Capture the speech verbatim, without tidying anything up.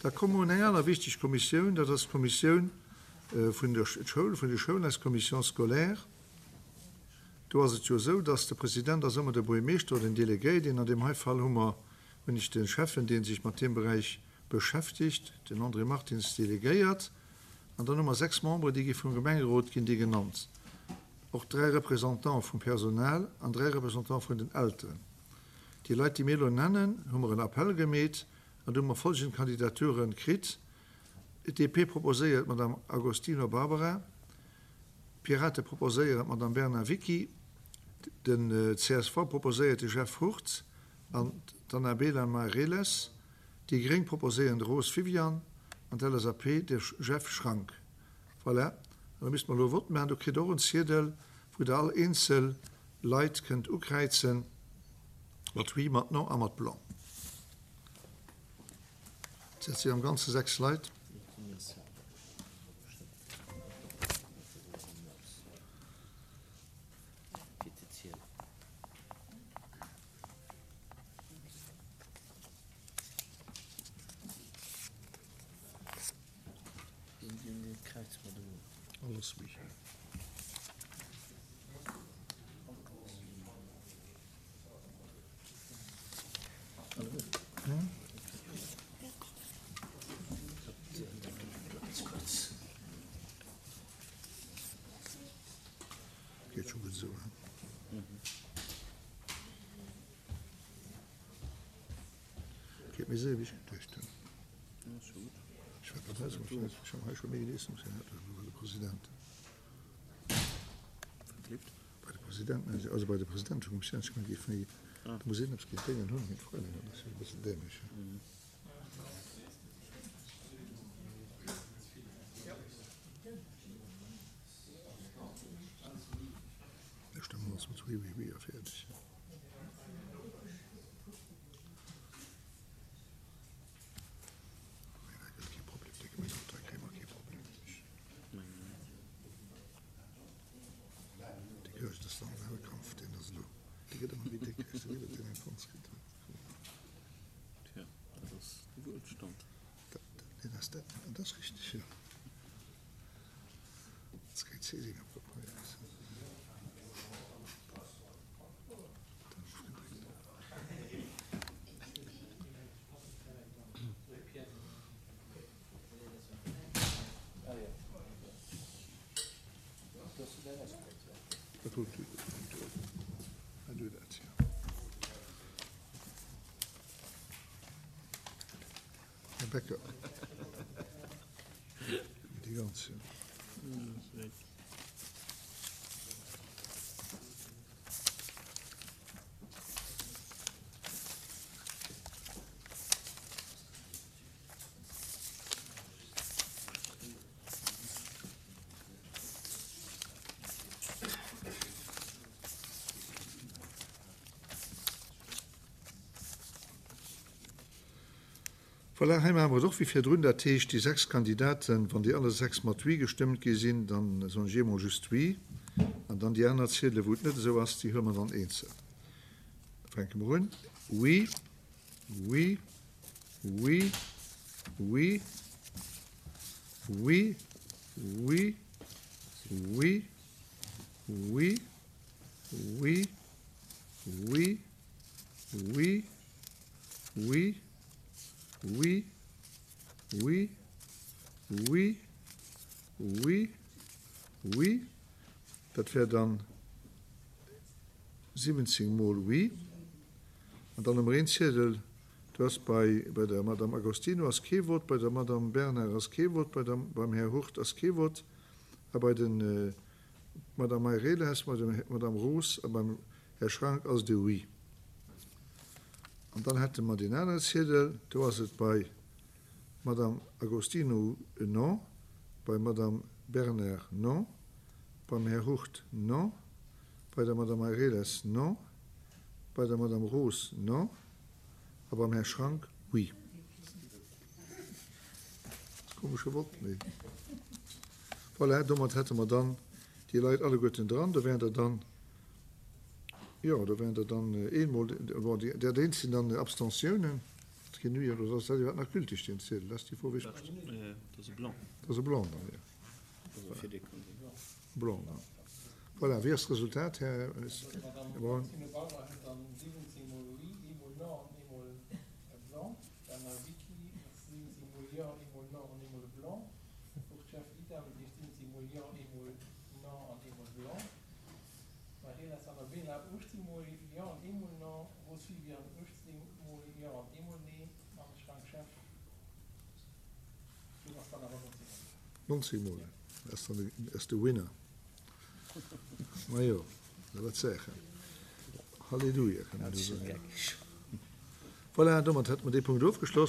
Da komme mer un eng aner wichteg Kommissioun, dat ass d'Kommissioun vun der Schoul, vun de Schoulen, eis Commission scolaire. Do ass et jo esou, dass de President ass ëmmer de Buergermeeschter oder den Delegéiert. An deem hei Fall hu mer, hunn ech de Schäffen, dee sech mat deem Beräich beschäftegt, den André Martins, delegéiert. An dann hu mer sechs Membere, déi gi vum Gemengerot ginn déi genannt. Och dräi Représentante vum Personal an dräi Représentante vun den Elteren. Déi Leit, déi mir elo nennen, hu mer en Appell gemeet an do hu mer folgend Kandidaturen kritt, D P proposéiert d'Madame Agostino Barbara, d'Pirate proposéieren d'Madame Bernard Vicky, den C S V proposéiert de Jeff Hurtz an d'Annabela Mareles, déi Gréng proposéieren de Roos Viviane an d'L S A P de Jeff Schrank. Voilà, an da misste mer elo e Vott maachen. Do kritt Der och en Ziedel, wou Der all eenzel Leit kënnt ukräizen, mat Oui, mat Non a mat Blanc. Dat sinn am Ganze sechs Leit. Alles Oui. Geet scho gutt esou, he? Geet méi séier wéi ech geduecht hunn. Ech war grad hei, ech hunn hei scho méi Leestungs gehat bei de Presidenten. Bei de Presidenten, also bei de Presidentekommissioun, ech géif méi, do muss een eppes géint Déngen hunn, géint Fräilein, dat ass jo e bëssen dämlech, he? Da stëmme mer ons mat Oui, oui, oui a fäerdeg. Mee dat gëtt kee Problem, décke Minutt, da kréie mer kee Problem. Déi Gëscht ass dann Wahlkampf, deen ass elo, dee gëtt ëmmer méi déck, ech sinn iwwert deen eng Fonds kritt huet. Tja, dat ass de Wuelstand. Dat, dat ass dat, dat ass richteg, jo. Dat ass keng Zäsing à propos, ja. Dann ofgedréckt. Dat huet du dat, ja. Här Becker. Déi ganz, ja. Voilà, hei maache mer et och wéi virdrun. Dat heescht, déi sechs Kandidaten, wann déi alle sechs mat Oui gestëmmt gi sinn, dann soen ech eemol just Oui. An dann déi aner Ziedele, wou et net esou ass, déi huele mer dann eenzel. Da fänke mer un. Oui, oui, oui, oui, oui, oui, oui, oui, oui, oui, oui, oui, oui, oui, oui, oui, oui. Dat wär dann siwwenzéng mol Oui. An dann hu mer een Ziedel, do ass bei, bei der Madame Agostino ass kee Vott, bei der Madame Bernard ass kee Vott, bei der, beim Här Hurt ass kee Vott a bei den Madame Meireles, bei der Madame Roos a beim Här Schrank ass et e Oui. An dann hätte mer deen anere Ziedel, do ass et bei Madame Agostino en Non, bei Madame Bernard Non, beim Här Hurt Non, bei der Madame Meireles Non, bei der Madame Roos Non a beim Här Schrank Oui. Komesche Vott, mee voilà, domat hätte mer dann déi Leit alleguerten dran. Do wären der dann, jo, do wären der dann eemol, bon, déi, dat eent sinn dann Abstentiounen. Keen Oui, oder ass dat iwwerhaapt nach gültig, deen Ziedel? Dat ass déi Fro, wéi ech. Dat ass e Blanc. Dat ass e Blanc dann, jo. Also fir dee kann sinn. Blanc, dann. Voilà, wéi ass d'Resultat, Här Braun? D'Madame Bauer huet dann siwwenzéng mol Oui, eemol Non an eemol e Blanc. D'Anna Vicky siwwenzéng mol Jo, eemol Non an eemol e Blanc. Och d'Jeff Idam, dat heescht siwwenzéng mol Jo, eemol Non an eemol Blanc. D'Mariela Sanabella uechtzéng mol Jo an eemol Non. Rose Viviane uechtzéng mol Jo an eemol Nee. An Frank Scheff, do ass dann awer nonzéng mol. Nonzéng mol, dat ass dann de, ass de Winner. Majo, dat war d'Sache. Halleluja, kann een do soen. Voilà, domat hätte mer dee Punkt ofgeschloss.